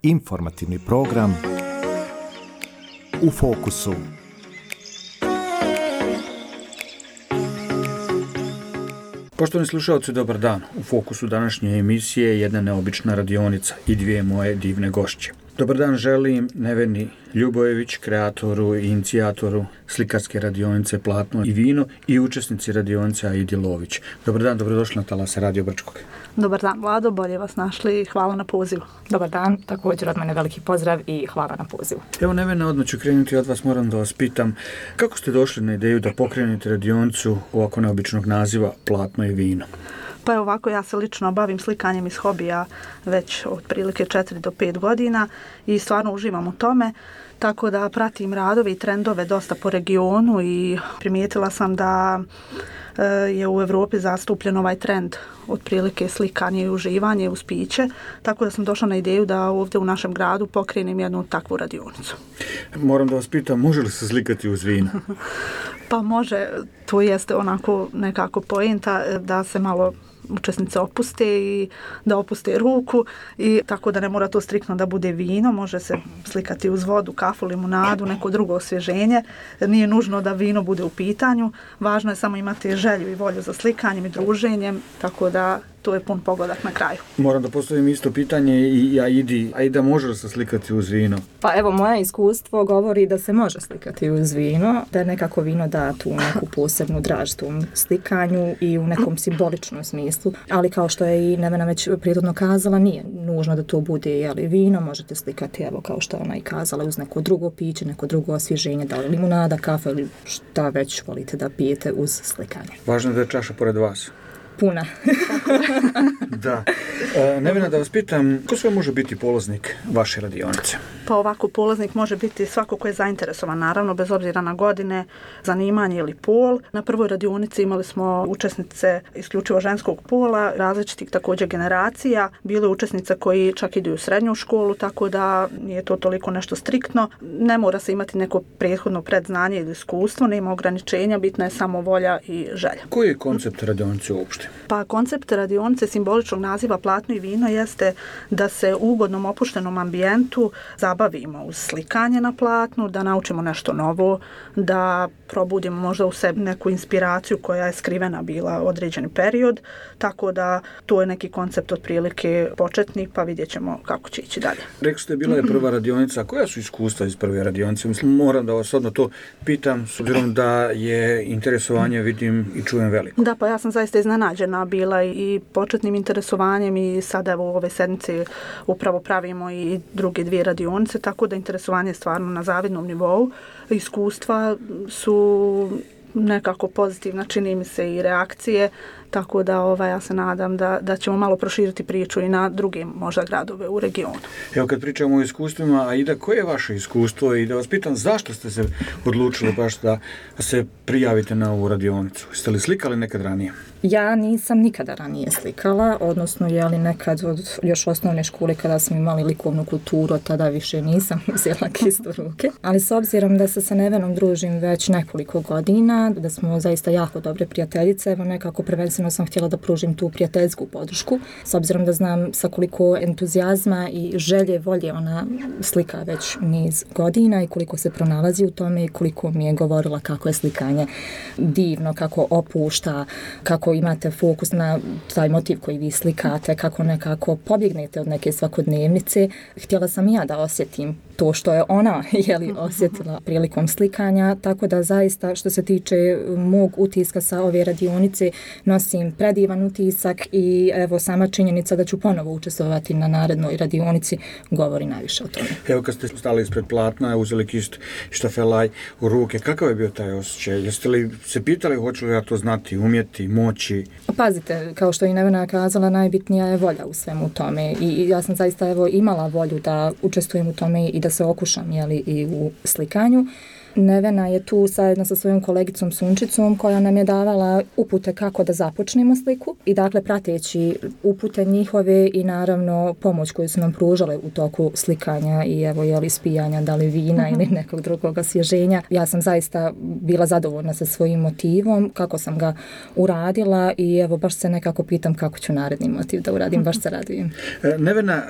Informativni program U fokusu. Poštovani slušalci, dobar dan. U fokusu današnje emisije je jedna neobična radionica i dvije moje divne gošće. Dobar dan želim Neveni Ljubojević, kreatoru i inicijatoru slikarske radionice Platno i vino i učesnici radionice Aidi Lović. Dobar dan, dobrodošli na talase Radio Brčkog. Dobar dan, Vlado, bolje vas našli i hvala na pozivu. Dobar dan, također od mene veliki pozdrav i hvala na pozivu. Evo Nevena, odmah ću krenuti od vas, moram da vas pitam kako ste došli na ideju da pokrenete radionicu ovako neobičnog naziva Platno i vino? Pa je ovako, ja se lično bavim slikanjem iz hobija već otprilike 4 do 5 godina i stvarno uživam u tome, tako da pratim radove i trendove dosta po regionu i primijetila sam da je u Evropi zastupljen ovaj trend otprilike slikanje i uživanje uz piće, tako da sam došla na ideju da ovdje u našem gradu pokrenem jednu takvu radionicu. Moram da vas pitam, može li se slikati uz vino? Pa može, to jeste onako nekako poenta da se malo učesnice opuste i da opuste ruku i tako da ne mora to striktno da bude vino, može se slikati uz vodu, kafu, limunadu, neko drugo osvježenje. Nije nužno da vino bude u pitanju, važno je samo imati želju i volju za slikanjem i druženjem, tako da to je pun pogodak na kraju. Moram da postavim isto pitanje i Aidi. Aida, može li se slikati uz vino? Pa evo, moje iskustvo govori da se može slikati uz vino, da je nekako vino da tu neku posebnu draž tom slikanju i u nekom simboličnom smislu, ali kao što je i Nevena već prirodno kazala, nije nužno da to bude vino, možete slikati, evo kao što je ona i kazala, uz neko drugo piće, neko drugo osvježenje, da li limunada, kafa ili šta već volite da pijete uz slikanje. Važno je da je čaša pored vas. Puna. Da. Nevena, da vas pitam, ko sve može biti polaznik vaše radionice? Pa ovako, polaznik može biti svako ko je zainteresovan, naravno, bez obzira na godine, zanimanje ili pol. Na prvoj radionici imali smo učesnice isključivo ženskog pola, različitih također generacija. Bile učesnice koji čak idu u srednju školu, tako da nije to toliko nešto striktno. Ne mora se imati neko prethodno predznanje ili iskustvo, nema ograničenja, bitna je samo volja i želja. Koji je koncept radionice uopšte? Pa koncept radionice simboličnog naziva Platno i vino jeste da se u ugodnom opuštenom ambijentu zabavimo uz slikanje na platnu, da naučimo nešto novo, da probudimo možda u sebi neku inspiraciju koja je skrivena bila određeni period, tako da to je neki koncept otprilike početni, pa vidjet ćemo kako će ići dalje. Rekli ste, bila je prva radionica, koja su iskustva iz prve radionice? Mislim, moram da vas odmah to pitam, s obzirom da je interesovanje, vidim i čujem veliko. Da, pa ja sam zaista iznenađena bila i početnim interesovanjem i sada evo u ove sedmice upravo pravimo i druge dvije radionice, tako da interesovanje je stvarno na zavidnom nivou. Iskustva su nekako pozitivna, čini mi se, i reakcije, tako da ja se nadam da ćemo malo proširiti priču i na druge možda gradove u regionu. Evo kad pričamo o iskustvima, Aida, koje je vaše iskustvo i da vas pitam zašto ste se odlučili baš da se prijavite na ovu radionicu? Jeste li slikali nekad ranije? Ja nisam nikada ranije slikala, odnosno nekad od još osnovne škole kada smo imali likovnu kulturu, tada više nisam uzela kist u ruke. Ali s obzirom da se sa Nevenom družim već nekoliko godina, da smo zaista jako dobre prijateljice, evo nekako prvenstveno sam htjela da pružim tu prijateljsku podršku, s obzirom da znam sa koliko entuzijazma i želje, volje ona slika već niz godina i koliko se pronalazi u tome i koliko mi je govorila kako je slikanje divno, kako opušta, kako imate fokus na taj motiv koji vi slikate, kako nekako pobjegnete od neke svakodnevnice. Htjela sam i ja da osjetim to što je ona osjetila prilikom slikanja, tako da zaista što se tiče mog utiska sa ove radionice nosim predivan utisak i evo sama činjenica da ću ponovo učestvovati na narednoj radionici govori najviše o tome. Evo kad ste stali ispred platna, uzeli kist štafelaj u ruke, kakav je bio taj osjećaj? Jeste li se pitali hoću li ja to znati, umjeti, moći? Pazite, kao što je Nevena kazala, najbitnija je volja u svemu tome i ja sam zaista imala volju da učestvujem u tome i da se okušam i u slikanju. Nevena je tu zajedno sa svojom kolegicom Sunčicom koja nam je davala upute kako da započnemo sliku i dakle prateći upute njihove i naravno pomoć koju su nam pružale u toku slikanja i evo ispijanja da li vina ili nekog drugog osvježenja. Ja sam zaista bila zadovoljna sa svojim motivom, kako sam ga uradila i evo baš se nekako pitam kako ću naredni motiv da uradim, baš se radujem. Nevena,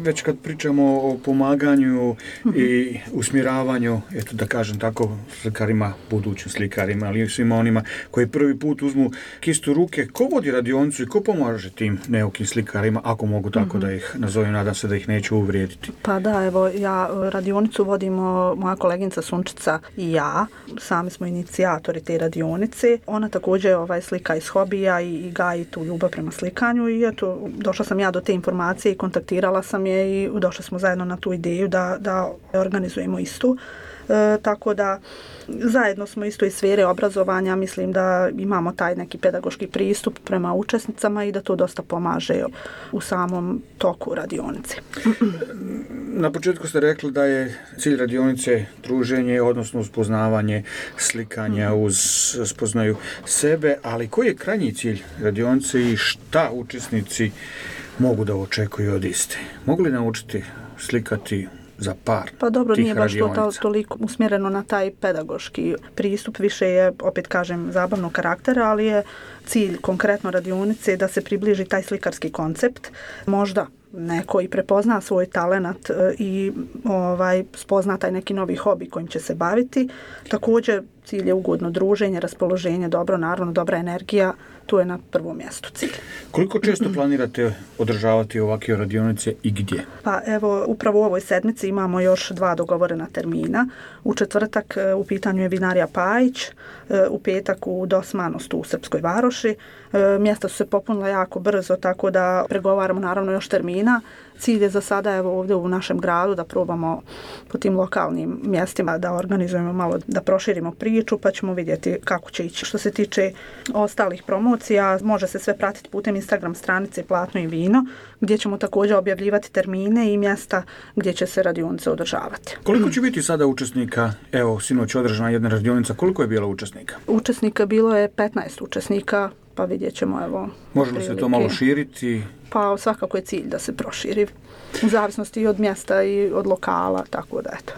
već kad pričamo o pomaganju i usmjeravanju, eto da kažem tako, slikarima, budućim slikarima, ali i svima onima koji prvi put uzmu kistu ruke, ko vodi radionicu i ko pomaže tim neukim slikarima, ako mogu tako da ih nazovem, nadam se da ih neću uvrijediti. Pa da, evo, ja radionicu vodimo moja koleginica Sunčica i ja, sami smo inicijatori te radionice. Ona također slika iz hobija i gaji tu ljubav prema slikanju i eto, došla sam ja do te informacije i kontaktirala sam je i došli smo zajedno na tu ideju da organizujemo istu. Tako da zajedno smo isto iz sfere obrazovanja, mislim da imamo taj neki pedagoški pristup prema učesnicama i da to dosta pomaže u samom toku radionice. Na početku ste rekli da je cilj radionice druženje, odnosno uspoznavanje slikanja uz spoznaju sebe, ali koji je krajnji cilj radionice i šta učesnici mogu da očekuju od iste? Mogu li naučiti slikati za par pa dobro, tih nije baš radionica? To toliko usmjereno na taj pedagoški pristup, više je, opet kažem, zabavnog karaktera, ali je cilj konkretno radionice da se približi taj slikarski koncept. Možda neko i prepozna svoj talenat i spozna taj neki novi hobi kojim će se baviti. Također cilj je ugodno druženje, raspoloženje, dobro, naravno dobra energija, tu je na prvom mjestu cilj. Koliko često planirate održavati ovakve radionice i gdje? Pa evo, upravo u ovoj sedmici imamo još 2 dogovorena termina. U četvrtak u pitanju je Vinarija Pajić, u petak u Dosmanosti u Srpskoj Varoši. Mjesta su se popunila jako brzo, tako da pregovaramo naravno još termina. Cilj je za sada evo ovdje u našem gradu da probamo po tim lokalnim mjestima da organizujemo malo, da proširimo priču, pa ćemo vidjeti kako će ići. Što se tiče ostalih promocija, može se sve pratiti putem Instagram stranice Platno i vino, gdje ćemo također objavljivati termine i mjesta gdje će se radionice održavati. Koliko će biti sada učesnika? Evo, sinoć održana jedna radionica, koliko je bilo učesnika? Učesnika bilo je 15 učesnika, pa vidjet ćemo evo. Može li se to malo širiti? Pa svakako je cilj da se proširi, u zavisnosti i od mjesta i od lokala, tako da eto.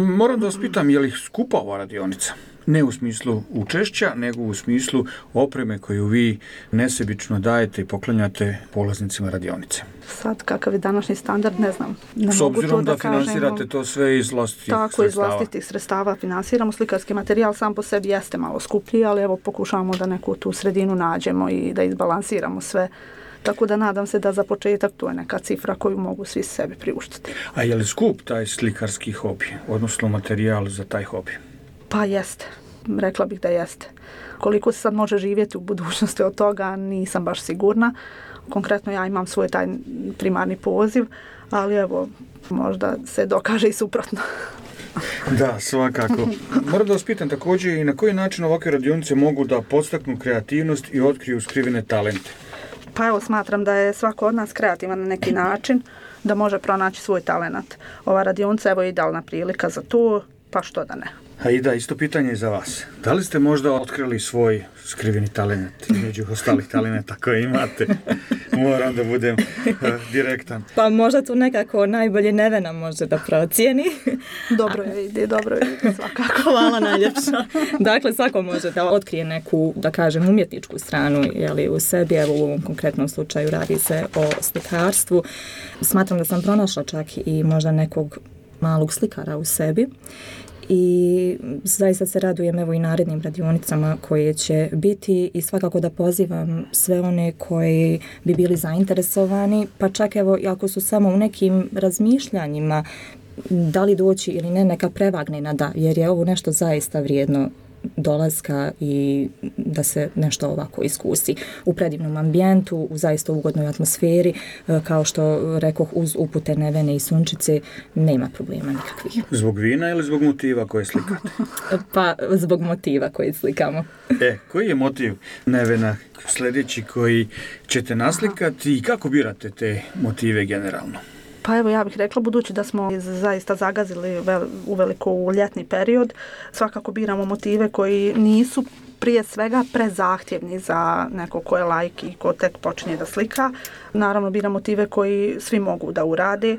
Moram da vas pitam, je li skupa ova radionica? Ne u smislu učešća, nego u smislu opreme koju vi nesebično dajete i poklanjate polaznicima radionice. Sad, kakav je današnji standard, ne znam. Ne s obzirom da finansirate to sve iz vlastitih sredstava. Tako, iz vlastitih sredstava finansiramo. Slikarski materijal sam po sebi jeste malo skuplji, ali evo pokušavamo da neku tu sredinu nađemo i da izbalansiramo sve. Tako da nadam se da za početak to je neka cifra koju mogu svi sebi priuštiti. A je li skup taj slikarski hobi, odnosno materijal za taj hobi? Pa jeste. Rekla bih da jeste. Koliko se sad može živjeti u budućnosti od toga, nisam baš sigurna. Konkretno ja imam svoj taj primarni poziv, ali evo, možda se dokaže i suprotno. Da, svakako. Moram da vas pitam također i na koji način ovakve radionice mogu da podstaknu kreativnost i otkriju skrivene talente? Pa evo, smatram da je svako od nas kreativan na neki način, da može pronaći svoj talenat. Ova radionica evo je idealna prilika za to, pa što da ne. A i da, isto pitanje je za vas. Da li ste možda otkrili svoj skriveni talent među ostalih talenta koje imate? Moram da budem direktan. Pa možda tu nekako najbolje Nevena može da procijeni. Dobro je ide, svakako. Hvala najljepša. Dakle, svako može da otkrije neku, da kažem, umjetničku stranu u sebi. Evo u ovom konkretnom slučaju radi se o slikarstvu. Smatram da sam pronašla čak i možda nekog malog slikara u sebi. I zaista se radujem evo i narednim radionicama koje će biti i svakako da pozivam sve one koji bi bili zainteresovani, pa čak evo ako su samo u nekim razmišljanjima da li doći ili ne, neka prevagne na da, jer je ovo nešto zaista vrijedno dolaska i da se nešto ovako iskusi u predivnom ambijentu, u zaista ugodnoj atmosferi, kao što rekoh, uz upute Nevene i Sunčice nema problema nikakvih. Zbog vina ili zbog motiva koje slikate? Pa zbog motiva koje slikamo. Koji je motiv, Nevena, sljedeći koji ćete naslikati i kako birate te motive generalno? Pa evo ja bih rekla, budući da smo zaista zagazili uveliko u ljetni period, svakako biramo motive koji nisu prije svega prezahtjevni za neko ko je laik i ko tek počinje da slika. Naravno biramo motive koji svi mogu da urade.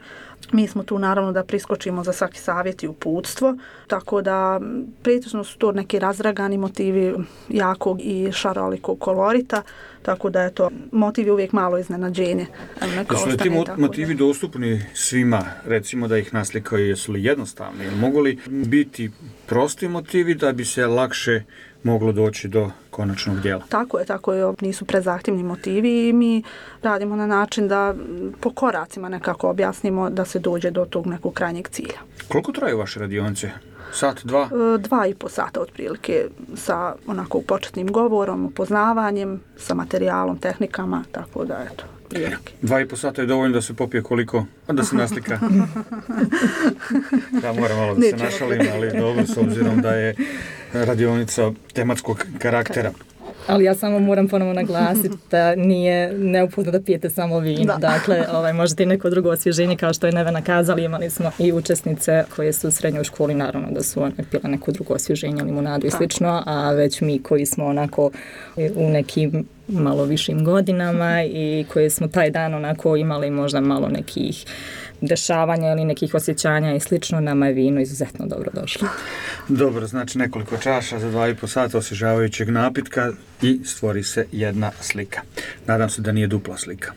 Mi smo tu naravno da priskočimo za svaki savjet i uputstvo, tako da pretežno su to neki razragani motivi jakog i šarolikog kolorita, tako da je to motiv je uvijek malo iznenađenje. Jesu li ti motivi dostupni svima, recimo da ih naslikaju, jesu li jednostavni? Mogu li biti prosti motivi da bi se lakše moglo doći do konačnog djela? Tako je, nisu prezahtjevni motivi i mi radimo na način da po koracima nekako objasnimo da se dođe do tog nekog krajnjeg cilja. Koliko traju vaše radionice? Sat, dva? 2,5 sata otprilike sa onako početnim govorom, upoznavanjem, sa materijalom, tehnikama, tako da eto. 2,5 sata je dovoljno da se popije koliko? Da se naslika. Ja moram malo da se našalim, ali dobro, s obzirom da je radionica tematskog karaktera. Ali ja samo moram ponovo naglasiti da nije neophodno da pijete samo vino. Da. Dakle, možete i neko drugo osvježenje, kao što je Nevena kazali, imali smo i učesnice koje su u srednjoj školi, naravno da su one pile neko drugo osvježenje, limunadu i slično, a već mi koji smo onako u nekim malo višim godinama i koji smo taj dan onako imali možda malo nekih dešavanja ili nekih osjećanja i slično, nama je vino izuzetno dobro došlo. Dobro, znači nekoliko čaša za 2,5 sata osvježavajućeg napitka i stvori se jedna slika. Nadam se da nije dupla slika.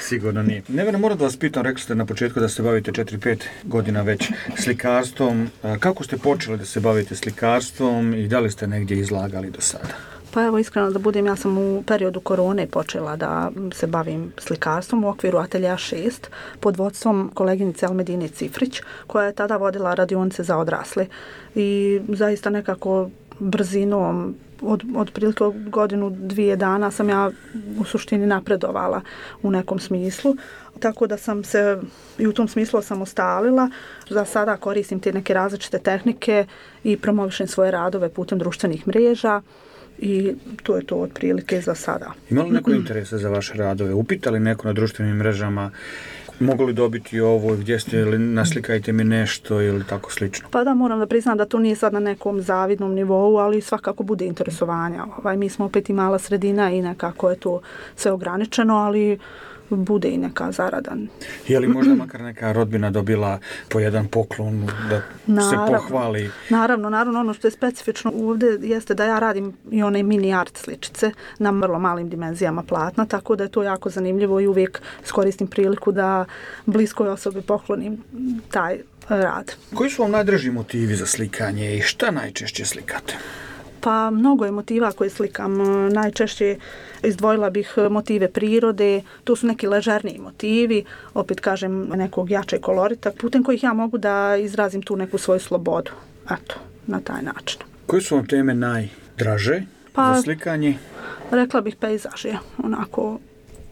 Sigurno nije. Nevena, moram da vas pitam, rekli ste na početku da se bavite 4-5 godina već slikarstvom. Kako ste počeli da se bavite slikarstvom i da li ste negdje izlagali do sada? Pa evo, iskreno da budem, ja sam u periodu korone počela da se bavim slikarstvom u okviru Atelja 6 pod vodstvom koleginice Almedine Cifrić, koja je tada vodila radionice za odrasle. I zaista nekako brzinom, od prilike godinu, 2 dana sam ja u suštini napredovala u nekom smislu. Tako da sam se i u tom smislu osamostalila. Za sada koristim te neke različite tehnike i promovišem svoje radove putem društvenih mreža. I to je to otprilike za sada. Ima li neko interesa za vaše radove? Upitali neko na društvenim mrežama mogu li dobiti ovo, gdje ste, ili naslikajte mi nešto ili tako slično? Pa da, moram da priznam da to nije sad na nekom zavidnom nivou, ali svakako bude interesovanja. Mi smo opet i mala sredina i nekako je to sve ograničeno, ali bude i neka zarada. Je li možda makar neka rodbina dobila po jedan poklon da se pohvali? Naravno, ono što je specifično ovdje jeste da ja radim i one mini art sličice na vrlo malim dimenzijama platna, tako da je to jako zanimljivo i uvijek skoristim priliku da bliskoj osobi poklonim taj rad. Koji su vam najdraži motivi za slikanje i šta najčešće slikate? Pa mnogo je motiva koje slikam. Najčešće izdvojila bih motive prirode, to su neki ležerniji motivi, opet kažem nekog jačeg kolorita, putem kojih ja mogu da izrazim tu neku svoju slobodu. Eto, na taj način. Koje su vam teme najdraže za slikanje? Rekla bih pejzaž je onako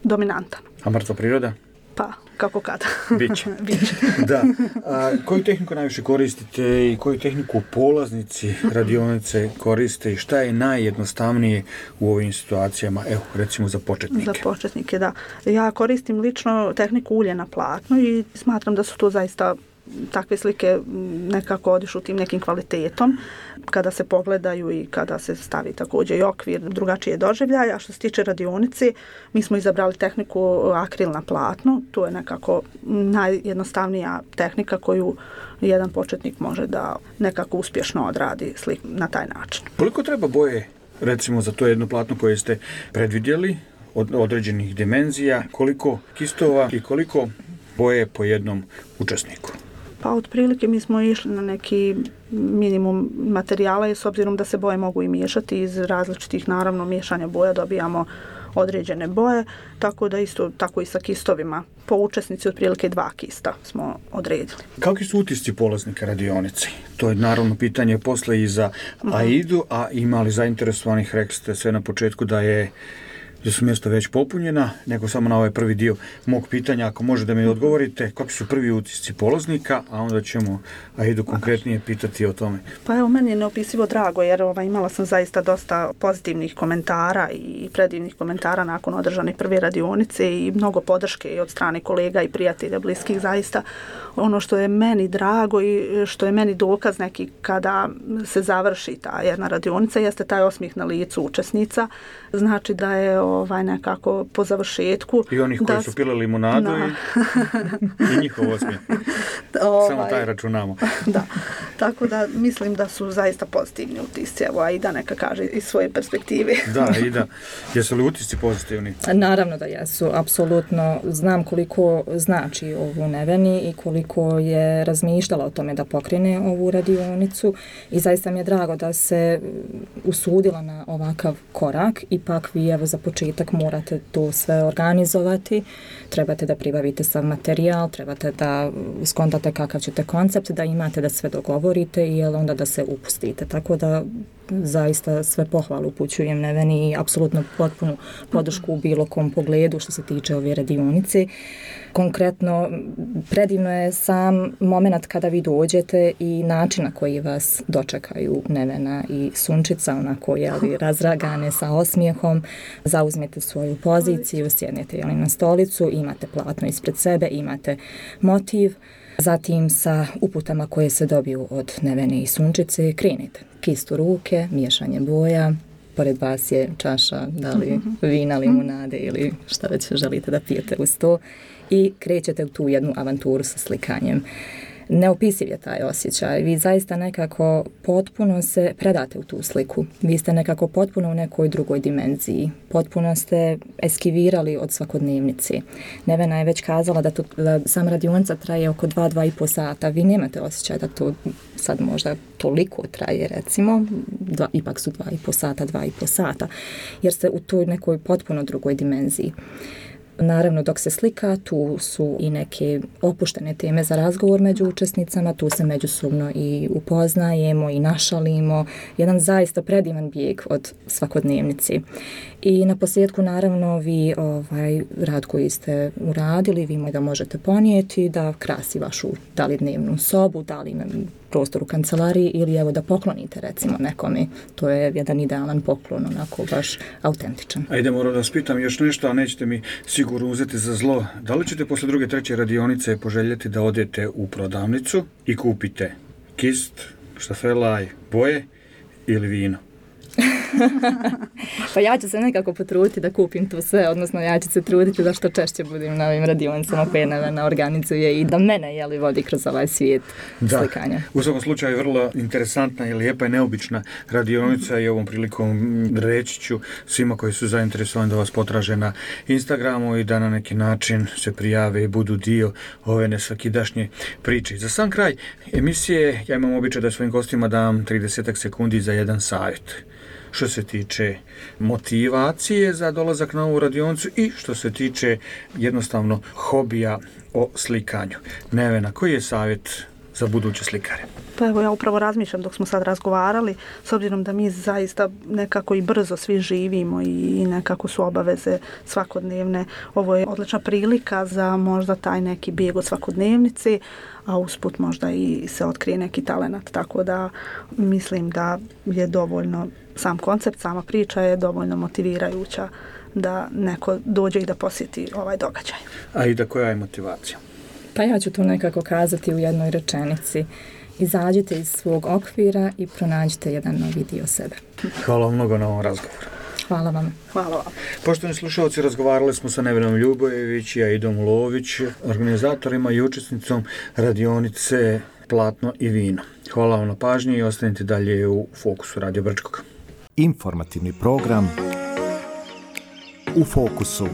dominantan. A mrtva priroda? Pa, kako kada. Biće. Da. Koju tehniku najviše koristite i koju tehniku polaznici radionice koriste i šta je najjednostavnije u ovim situacijama, evo, recimo za početnike? Za početnike, da. Ja koristim lično tehniku ulje na platnu i smatram da su to zaista takve slike nekako odišu tim nekim kvalitetom kada se pogledaju i kada se stavi također i okvir drugačije doživljaja. A što se tiče radionice, mi smo izabrali tehniku akril na platnu. To je nekako najjednostavnija tehnika koju jedan početnik može da nekako uspješno odradi slik na taj način. Koliko treba boje, recimo, za to jedno platno koje ste predvidjeli od određenih dimenzija, koliko kistova i koliko boje po jednom učesniku? Pa otprilike mi smo išli na neki minimum materijala i s obzirom da se boje mogu i miješati iz različitih, naravno, miješanja boja dobijamo određene boje, tako da isto tako i sa kistovima. Po učesnici otprilike 2 kista smo odredili. Kakvi su utisci polaznika radionice? To je naravno pitanje posle i za Aidu, a imali zainteresovanih, rekli ste sve na početku da je gdje su mjesta već popunjena, nego samo na ovaj prvi dio mog pitanja, ako može da mi odgovorite, kakvi su prvi utisci polaznika, a onda ćemo Aidu konkretnije pitati o tome. Pa evo, meni je neopisivo drago, jer imala sam zaista dosta pozitivnih komentara i predivnih komentara nakon održane prve radionice i mnogo podrške i od strane kolega i prijatelja bliskih. Zaista ono što je meni drago i što je meni dokaz neki kada se završi ta jedna radionica jeste taj osmijeh na licu učesnica. Znači da je nekako po završetku. I onih koji su pili limunadu i njihov osmijeh. Samo taj računamo. Da. Tako da mislim da su zaista pozitivni utisci. Evo, Aida neka kaže iz svoje perspektive. Da, Aida. Jesu li utisci pozitivni? Naravno da jesu. Apsolutno znam koliko znači ovu Neveni i koliko je razmišljala o tome da pokrene ovu radionicu i zaista mi je drago da se usudila na ovakav korak. Ipak vi evo za početak morate to sve organizovati, trebate da pribavite sav materijal, trebate da skontate kakav ćete koncept, da imate da sve dogovorite i onda da se upustite. Tako da zaista sve pohvalu upućujem Neveni i apsolutno potpunu podršku u bilo kom pogledu što se tiče ove radionice. Konkretno, predivno je sam moment kada vi dođete i način na koji vas dočekaju Nevena i Sunčica, onako razragane sa osmijehom, zauzmete svoju poziciju, sjednete na stolicu, imate platno ispred sebe, imate motiv, zatim sa uputama koje se dobiju od Nevene i Sunčice krenete. Kist u ruke, miješanje boja, pored vas je čaša, da li vina, limunade ili šta već želite da pijete uz to i krećete u tu jednu avanturu sa slikanjem. Neopisiv je taj osjećaj. Vi zaista nekako potpuno se predate u tu sliku. Vi ste nekako potpuno u nekoj drugoj dimenziji. Potpuno ste eskivirali od svakodnevnice. Nevena je već kazala da sam radionica traje oko 2-2,5 sata. Vi nemate osjećaj da to sad možda toliko traje, recimo. Ipak su 2,5 sata, jer ste u toj nekoj potpuno drugoj dimenziji. Naravno, dok se slika, tu su i neke opuštene teme za razgovor među učesnicama, tu se međusobno i upoznajemo i našalimo. Jedan zaista predivan bijeg od svakodnevnici. I na posljedku, naravno, vi rad koji ste uradili, vi da možete ponijeti, da krasi vašu da li dnevnu sobu, da li prostor u kancelariji ili evo da poklonite recimo nekome. To je jedan idealan poklon, onako baš autentičan. Ajde, moram da vas pitam još nešto, a nećete mi sigurno uzeti za zlo. Da li ćete posle druge, treće radionice poželjeti da odete u prodavnicu i kupite kist, štafelaj, boje ili vino? Pa ja ću se nekako potruditi da kupim to sve, odnosno ja ću se truditi da što češće budem na ovim radionicama koje Nevena organizuje i da mene vodi kroz ovaj svijet slikanja. U svakom slučaju vrlo interesantna i lijepa i neobična radionica i ovom prilikom reći ću svima koji su zainteresovani da vas potraže na Instagramu i da na neki način se prijave i budu dio ove nesvakidašnje priče. Za sam kraj emisije ja imam običaj da svojim gostima dam 30 sekundi za jedan savjet. Što se tiče motivacije za dolazak na ovu radionicu i što se tiče jednostavno hobija o slikanju. Nevena, koji je savjet za buduće slikare? Pa evo, ja upravo razmišljam dok smo sad razgovarali, s obzirom da mi zaista nekako i brzo svi živimo i nekako su obaveze svakodnevne. Ovo je odlična prilika za možda taj neki bijeg od svakodnevnice, a usput možda i se otkrije neki talenat, tako da mislim da je dovoljno sam koncept, sama priča je dovoljno motivirajuća da neko dođe i da posjeti ovaj događaj. A i da koja je motivacija? Pa ja ću to nekako kazati u jednoj rečenici. Izađite iz svog okvira i pronađite jedan novi dio sebe. Hvala vam mnogo na ovom razgovoru. Hvala vam. Hvala vam. Poštovani slušalci, razgovarali smo sa Nevenom Ljubojević i Aidom Lović, organizatorima i učesnicom radionice Platno i vino. Hvala vam na pažnji i ostanite dalje u Fokusu Radio Brčkog. Informativni program U fokusu.